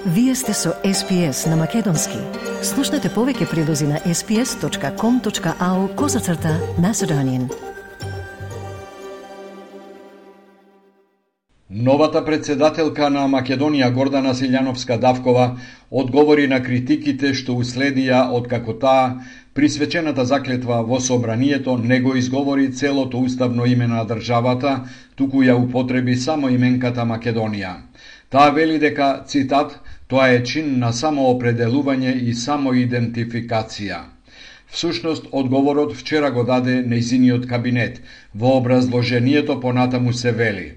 Вие сте со SPS на Македонски. Слушнете повеќе прилози на sps.com.au/Macedonian. Новата председателка на Македонија Гордана Силјановска-Давкова одговори на критиките што уследија откако таа присвечената заклетва во собранието не го изговори целото уставно име на државата, туку ја употреби само именката Македонија. Таа вели дека, цитат, тоа е чин на самоопределување и самоидентификација. Всушност, одговорот вчера го даде нејзиниот кабинет. Во образложението понатаму се вели: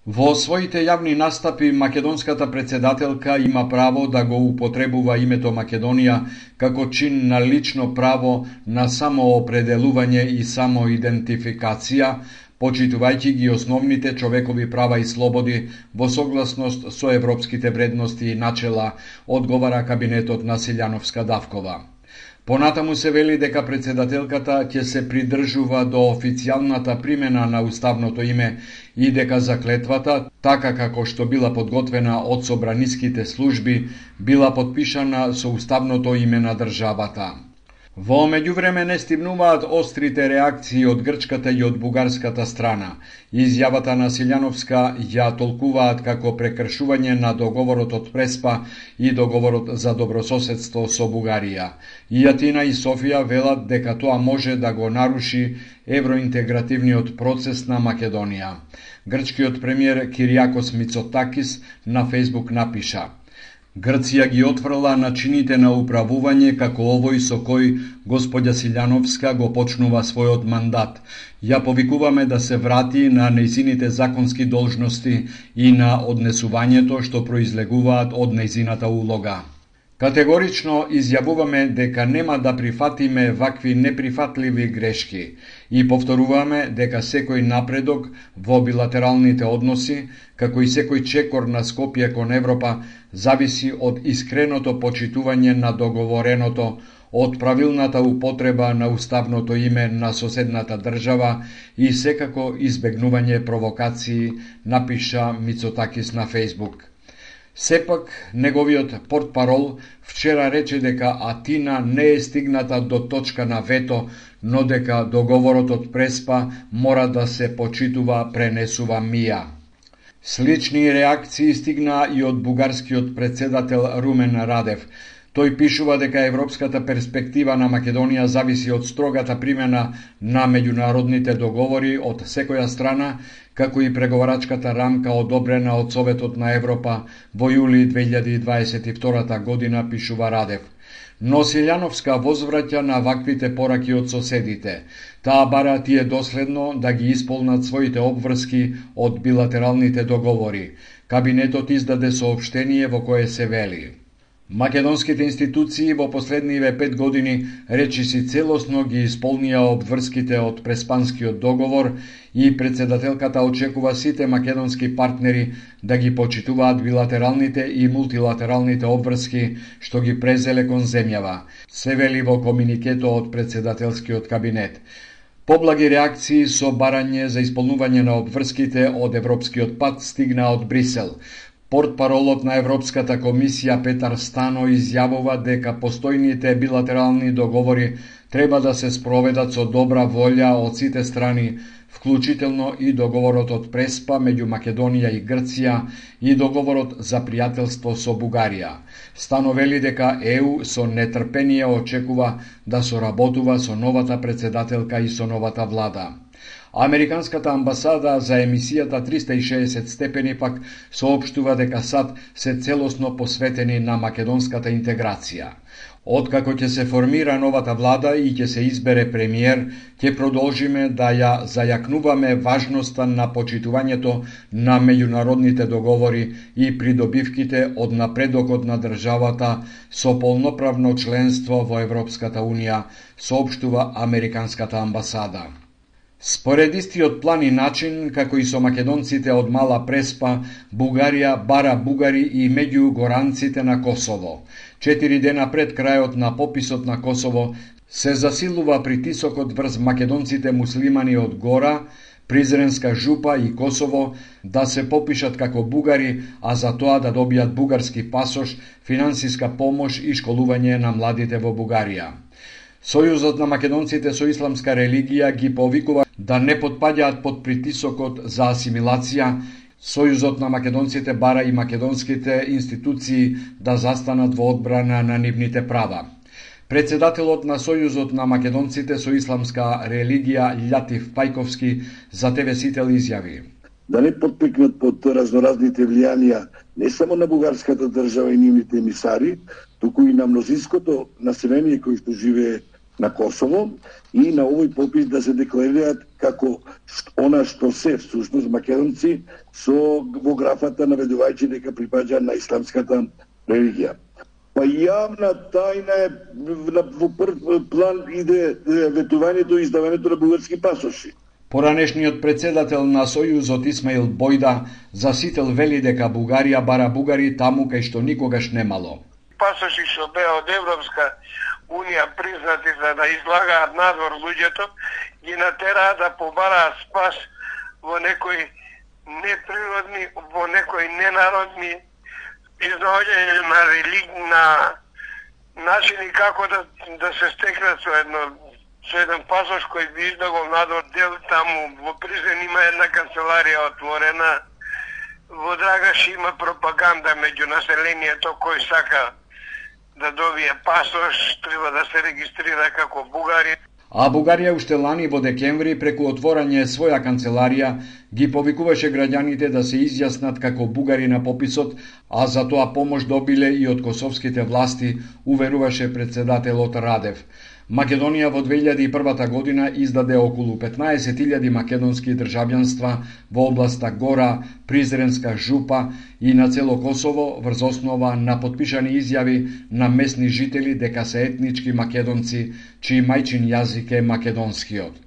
во своите јавни настапи, македонската председателка има право да го употребува името Македонија како чин на лично право на самоопределување и самоидентификација, почитувајќи ги основните човекови права и слободи во согласност со европските вредности и начела, одговара кабинетот на Силјановска-Давкова. Понатаму се вели дека председателката ќе се придржува до официјалната примена на уставното име и дека заклетвата, така како што била подготвена од собраниските служби, била подпишана со уставното име на државата. Во меѓувреме не стигнуваат острите реакции од грчката и од бугарската страна. Изјавата на Силјановска ја толкуваат како прекршување на договорот од Преспа и договорот за добрососедство со Бугарија. И Атина и Софија велат дека тоа може да го наруши евроинтегративниот процес на Македонија. Грчкиот премиер Кириакос Мицотакис на Фејсбук напиша: Грција ги отфрла начините на управување како овој со кој господја Силјановска го почнува својот мандат. Ја повикуваме да се врати на нејзините законски должности и на однесувањето што произлегуваат од нејзината улога. Категорично изјавуваме дека нема да прифатиме вакви неприфатливи грешки и повторуваме дека секој напредок во билатералните односи, како и секој чекор на Скопје кон Европа, зависи од искреното почитување на договореното, од правилната употреба на уставното име на соседната држава и секако избегнување провокации, напиша Мицотакис на Фејсбук. Сепак, неговиот портпарол вчера рече дека Атина не е стигната до точка на вето, но дека договорот од Преспа мора да се почитува, пренесува мија. Слични реакции стигна и од бугарскиот председател Румен Радев. Тој пишува дека европската перспектива на Македонија зависи од строгата примена на меѓународните договори од секоја страна, како и преговарачката рамка одобрена од Советот на Европа во јули 2022 година, пишува Радев. Но Силјановска возвраќа на ваквите пораки од соседите. Таа бара тие доследно да ги исполнат своите обврски од билатералните договори. Кабинетот издаде соопштение во кое се вели: македонските институции во последниве 5 години речиси целосно ги исполнија обврските од Преспанскиот договор и председателката очекува сите македонски партнери да ги почитуваат билатералните и мултилатералните обврски што ги презеле кон земјава, се вели во комуникето од председателскиот кабинет. Поблаги реакции со барање за исполнување на обврските од европскиот пат стигна од Брисел. Портпаролот на Европската комисија Петар Стано изјавува дека постојните билатерални договори треба да се спроведат со добра волја од сите страни, вклучително и договорот од Преспа меѓу Македонија и Грција и договорот за пријателство со Бугарија. Стано вели дека ЕУ со нетрпение очекува да соработува со новата председателка и со новата влада. Американската амбасада за емисијата 360 степени пак соопштува дека САД се целосно посветени на македонската интеграција. Откако ќе се формира новата влада и ќе се избере премиер, ќе продолжиме да ја зајакнуваме важноста на почитувањето на меѓународните договори и придобивките од напредокот на државата со полноправно членство во Европската Унија, соопштува Американската амбасада. Според истиот план и начин, како и со македонците од Мала Преспа, Бугарија бара бугари и меѓугоранците на Косово. 4 дена пред крајот на пописот на Косово се засилува притисокот врз македонците муслимани од Гора, Призренска жупа и Косово да се попишат како бугари, а за тоа да добијат бугарски пасош, финансиска помош и школување на младите во Бугарија. Сојузот на македонците со исламска религија ги повикува да не потпаѓаат под притисокот за асимилација. Сојузот на македонците бара и македонските институции да застанат во одбрана на нивните права. Председателот на Сојузот на македонците со исламска религија Љатиф Пајковски за ТВ Сител изјави: да не потпекнат под разноразните влијанија не само на бугарската држава и нивните емисари, туку и на мнозинското население кој што живее на Косово, и на овој попис да се декларираат како она што се всушност македонци со во графата наведувајќи дека припаѓа на исламската религија. Па јавна тајна е, во прв план иде ветувањето и издавањето на бугарски пасоши. Поранешниот председател на Сојузот Исмаил Бојда за Сител вели дека Бугарија бара бугари таму кај што никогаш немало. Пасоши што беа од Европска Унија признати за да излагаат надвор луѓето, ги натераа да побараат спас во некои неприродни, во некои ненародни изнаоѓање на религна начини како да се стекнат со еден пасош кој би издавал надвор дел. Таму во Призрен има една канцеларија отворена, во Драгаш има пропаганда меѓу населението кој сака да добие пасош, треба да се регистрира како бугари. А Бугарија уште лани во декември преку отворање своја канцеларија ги повикуваше граѓаните да се изјаснат како бугари на пописот, а за тоа помош добиле и од косовските власти, уверуваше председателот Радев. Македонија во 2001 година издаде околу 15.000 македонски државјанства во областа Гора, Призренска жупа и на цело Косово врз основа на потпишани изјави на местни жители дека се етнички македонци, чиј мајчин јазик е македонскиот.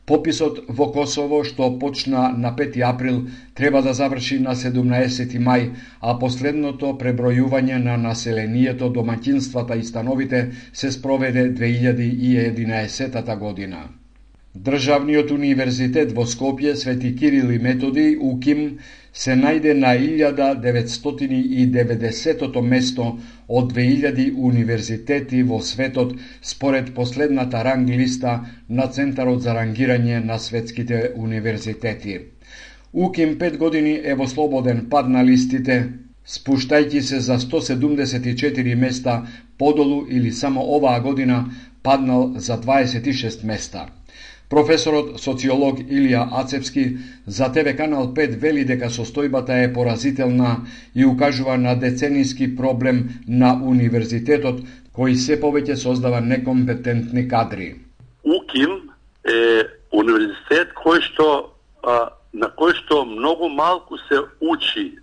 Пописот во Косово, што почна на 5 април, треба да заврши на 17 мај, а последното пребројување на населението, домаќинствата и становите се спроведе 2011 година. Државниот универзитет во Скопје Свети Кирил и Методи, УКИМ, се најде на 1990 место од 2000 универзитети во светот според последната ранг листа на Центарот за рангирање на светските универзитети. УКИМ 5 години е во слободен пад на листите, спуштајќи се за 174 места подолу или само оваа година паднал за 26 места. Професорот социолог Илија Ацевски за ТВ Канал 5 вели дека состојбата е поразителна и укажува на деценијски проблем на универзитетот кој се повеќе создава некомпетентни кадри. УКИМ е универзитет на кој што многу малку се учи,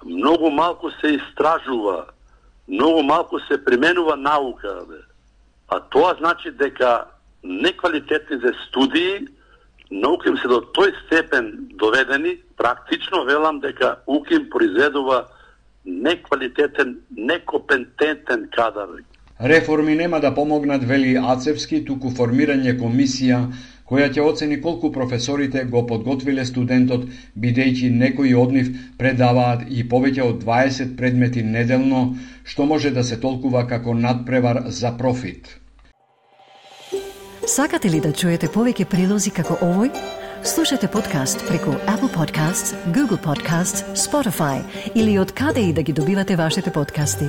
многу малку се истражува, многу малку се применува наука. А тоа значи дека неквалитетните студии на УКИМ се до тој степен доведени, практично велам дека УКИМ произведува неквалитетен, некомпетентен кадар. Реформи нема да помогнат, вели Ацевски, туку формирање комисија која ќе оцени колку професорите го подготвиле студентот, бидејќи некои од нив предаваат и повеќе од 20 предмети неделно, што може да се толкува како надпревар за профит. Сакате ли да чуете повеќе прилози како овој? Слушате подкаст преку Apple Podcasts, Google Podcasts, Spotify или од каде и да ги добивате вашите подкасти.